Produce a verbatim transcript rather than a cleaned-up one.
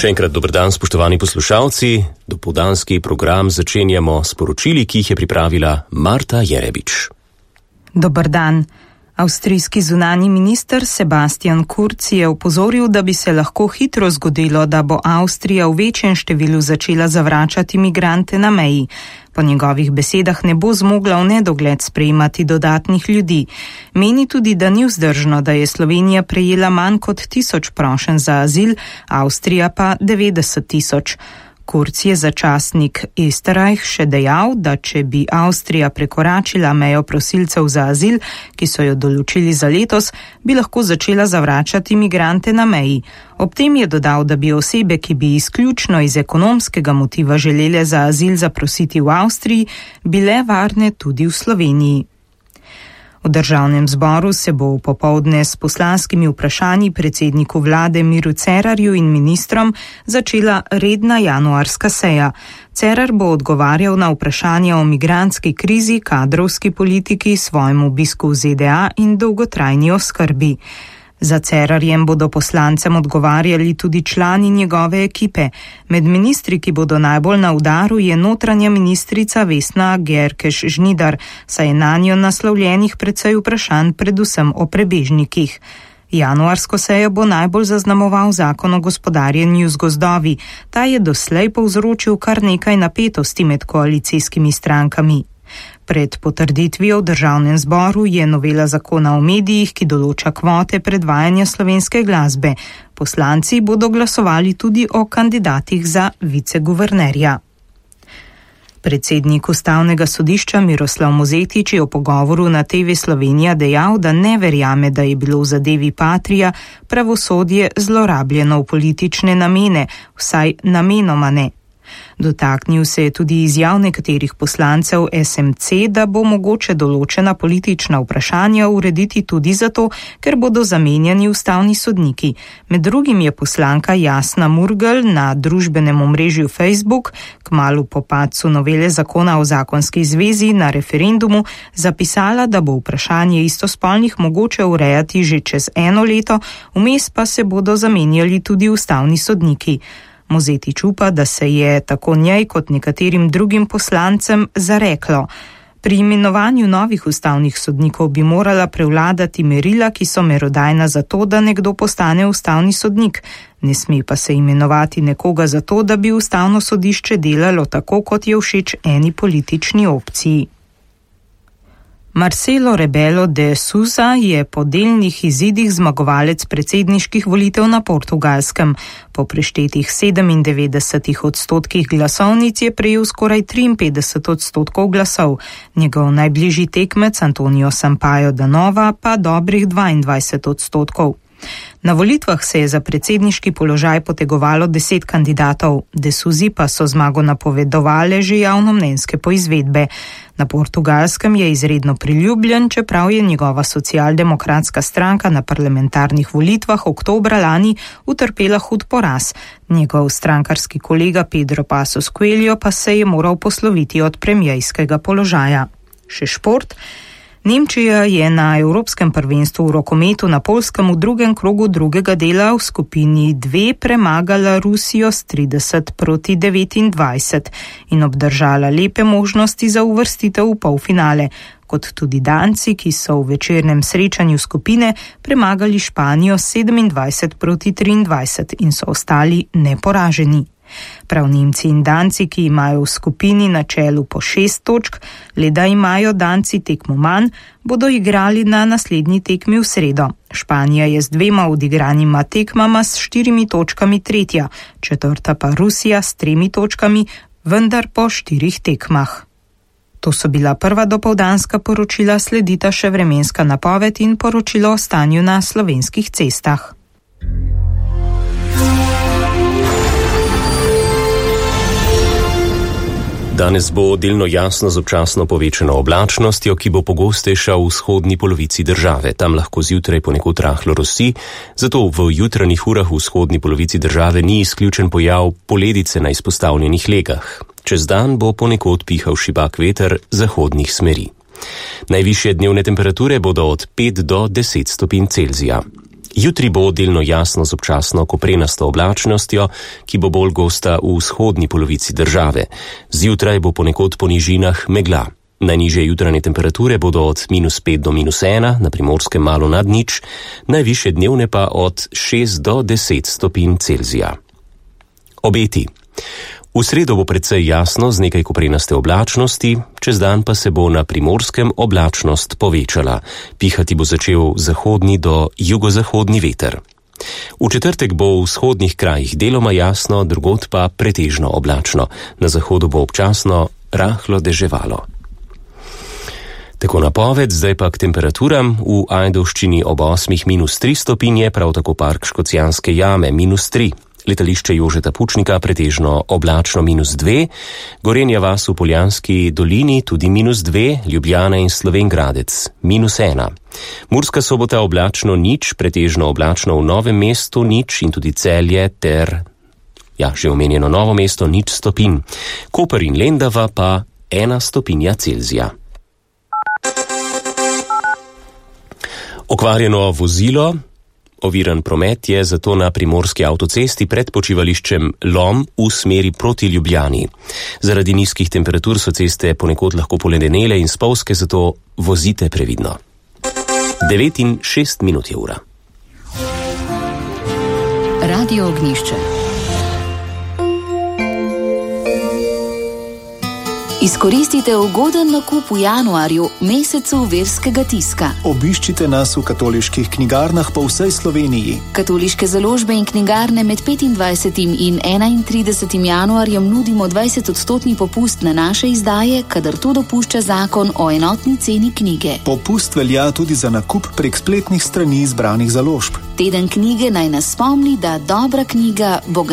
Še enkrat dober dan, spoštovani poslušalci. Dopoldanski program začenjamo s poročili, ki jih je pripravila Marta Jerebič. Dober dan. Avstrijski zunanji minister Sebastian Kurz je opozoril, da bi se lahko hitro zgodilo, da bo Avstrija v večjem številu začela zavračati migrante na meji. Po njegovih besedah ne bo zmogla v nedogled sprejemati dodatnih ljudi. Meni tudi, da ni vzdržno, da je Slovenija prejela manj kot tisoč prošenj za azil, Avstrija pa devetdeset tisoč. Kurz je za časnik Österreich še dejal, da če bi Avstrija prekoračila mejo prosilcev za azil, ki so jo določili za letos, bi lahko začela zavračati migrante na meji. Ob tem je dodal, da bi osebe, ki bi izključno iz ekonomskega motiva želele za azil zaprositi v Avstriji, bile varne tudi v Sloveniji. V državnem zboru se bo popoldne s poslanskimi vprašanji predsedniku vlade Miru Cerarju in ministrom začela redna januarska seja. Cerar bo odgovarjal na vprašanja o migrantski krizi, kadrovski politiki, svojem obisku v Z D A in dolgotrajni oskrbi. Za Cerarjem bodo poslancem odgovarjali tudi člani njegove ekipe. Med ministri, ki bodo najbolj na udaru, je notranja ministrica Vesna Györkös-Žnidar, saj je nanjo naslovljenih precej vprašanj predvsem o prebežnikih. Januarsko sejo bo najbolj zaznamoval zakon o gospodarjenju z gozdovi. Ta je doslej povzročil kar nekaj napetosti med koalicijskimi strankami. Pred potrditvijo v državnem zboru je novela zakona o medijih, ki določa kvote predvajanja slovenske glasbe. Poslanci bodo glasovali tudi o kandidatih za viceguvernerja. Predsednik Ustavnega sodišča Miroslav Mozetič je v pogovoru na T V Slovenija dejal, da ne verjame, da je bilo v zadevi Patria pravosodje zlorabljeno v politične namene, vsaj namenoma ne. Dotaknil se je tudi izjav nekaterih poslancev S M C, da bo mogoče določena politična vprašanja urediti tudi zato, ker bodo zamenjani ustavni sodniki. Med drugim je poslanka Jasna Murgel na družbenem omrežju Facebook kmalu po padcu novele zakona o zakonski zvezi na referendumu zapisala, da bo vprašanje istospolnih mogoče urejati že čez eno leto, vmes pa se bodo zamenjali tudi ustavni sodniki. Mozetič upa, da se je tako njej kot nekaterim drugim poslancem zareklo. Pri imenovanju novih ustavnih sodnikov bi morala prevladati merila, ki so merodajna za to, da nekdo postane ustavni sodnik. Ne sme pa se imenovati nekoga za to, da bi ustavno sodišče delalo tako, kot je všeč eni politični opciji. Marcelo Rebelo de Sousa je po delnih izidih zmagovalec predsedniških volitev na Portugalskem. Po preštetih sedemindevetdesetih odstotkih glasovnic je prejel skoraj triinpetdeset odstotkov glasov. Njegov najbližji tekmec Antonio Sampaio da Nova pa dobrih dvaindvajset odstotkov. Na volitvah se je za predsedniški položaj potegovalo deset kandidatov, de Sousi pa so zmago napovedovale že javnomnenjske poizvedbe. Na Portugalskem je izredno priljubljen, čeprav je njegova socialdemokratska stranka na parlamentarnih volitvah oktobra lani utrpela hud poraz. Njegov strankarski kolega Pedro Passos Coelho pa se je moral posloviti od premierskega položaja. Še šport. Nemčija je na Evropskem prvenstvu v rokometu na Poljskem v drugem krogu drugega dela v skupini dve premagala Rusijo s trideset proti devetindvajset in obdržala lepe možnosti za uvrstitev v polfinale, kot tudi Danci, ki so v večernem srečanju skupine premagali Španijo sedemindvajset proti triindvajset in so ostali neporaženi. Prav Nemci in Danci, ki imajo v skupini na čelu po šest točk, le da imajo Danci tekmo manj, bodo igrali na naslednji tekmi v sredo. Španija je z dvema odigranima tekmama s štirimi točkami tretja, četrta pa Rusija s tremi točkami, vendar po štirih tekmah. To so bila prva dopoldanska poročila, sledita še vremenska napoved in poročilo o stanju na slovenskih cestah. Danes bo delno jasno z občasno povečano oblačnostjo, ki bo pogostejša v vzhodni polovici države. Tam lahko zjutraj ponekod rahlo rosi, zato v jutranjih urah v vzhodni polovici države ni izključen pojav poledice na izpostavljenih legah. Čez dan bo ponekod pihal šibak veter zahodnih smeri. Najvišje dnevne temperature bodo od pet do deset stopinj Celzija. Jutri bo delno jasno z občasno koprenasto oblačnostjo, ki bo bolj gosta v vzhodni polovici države. Zjutraj bo ponekod po nižinah megla. Najnižje jutranje temperature bodo od minus pet do minus ena, na Primorskem malo nad nič, najvišje dnevne pa od šest do deset stopinj Celzija. Obeti. V sredo bo precej jasno z nekaj koprenaste oblačnosti, čez dan pa se bo na Primorskem oblačnost povečala. Pihati bo začel zahodni do jugozahodni veter. V četrtek bo v vzhodnih krajih deloma jasno, drugod pa pretežno oblačno. Na zahodu bo občasno rahlo deževalo. Tako napoved, zdaj pa k temperaturam. V Ajdovščini ob osmih minus tri stopinje, prav tako park Škocjanske jame minus tri. Letališče Jožeta Pučnika pretežno oblačno minus dve, Gorenja vas v Poljanski dolini tudi minus dve, Ljubljana in Slovenj Gradec minus ena. Murska Sobota oblačno nič, pretežno oblačno v Novem mestu nič in tudi Celje ter, ja, že omenjeno Novo mesto nič stopinj. Koper in Lendava pa ena stopinja Celzija. Okvarjeno vozilo. Oviran promet je zato na primorski avtocesti pred počivališčem Lom v smeri proti Ljubljani. Zaradi nizkih temperatur so ceste ponekod lahko poledenele in spolzke, zato vozite previdno. devet in šest minut je ura. Radio Ognjišče. Izkoristite ugoden nakup v januarju, mesecu verskega tiska. Obiščite nas v katoliških knjigarnah po vsej Sloveniji. Katoliške založbe in knjigarne med petindvajsetim in enaintridesetim januarjem nudimo dvajsetodstotni popust na naše izdaje, kadar to dopušča zakon o enotni ceni knjige. Popust velja tudi za nakup prek spletnih strani izbranih založb. Teden knjige naj nas spomni, da dobra knjiga bo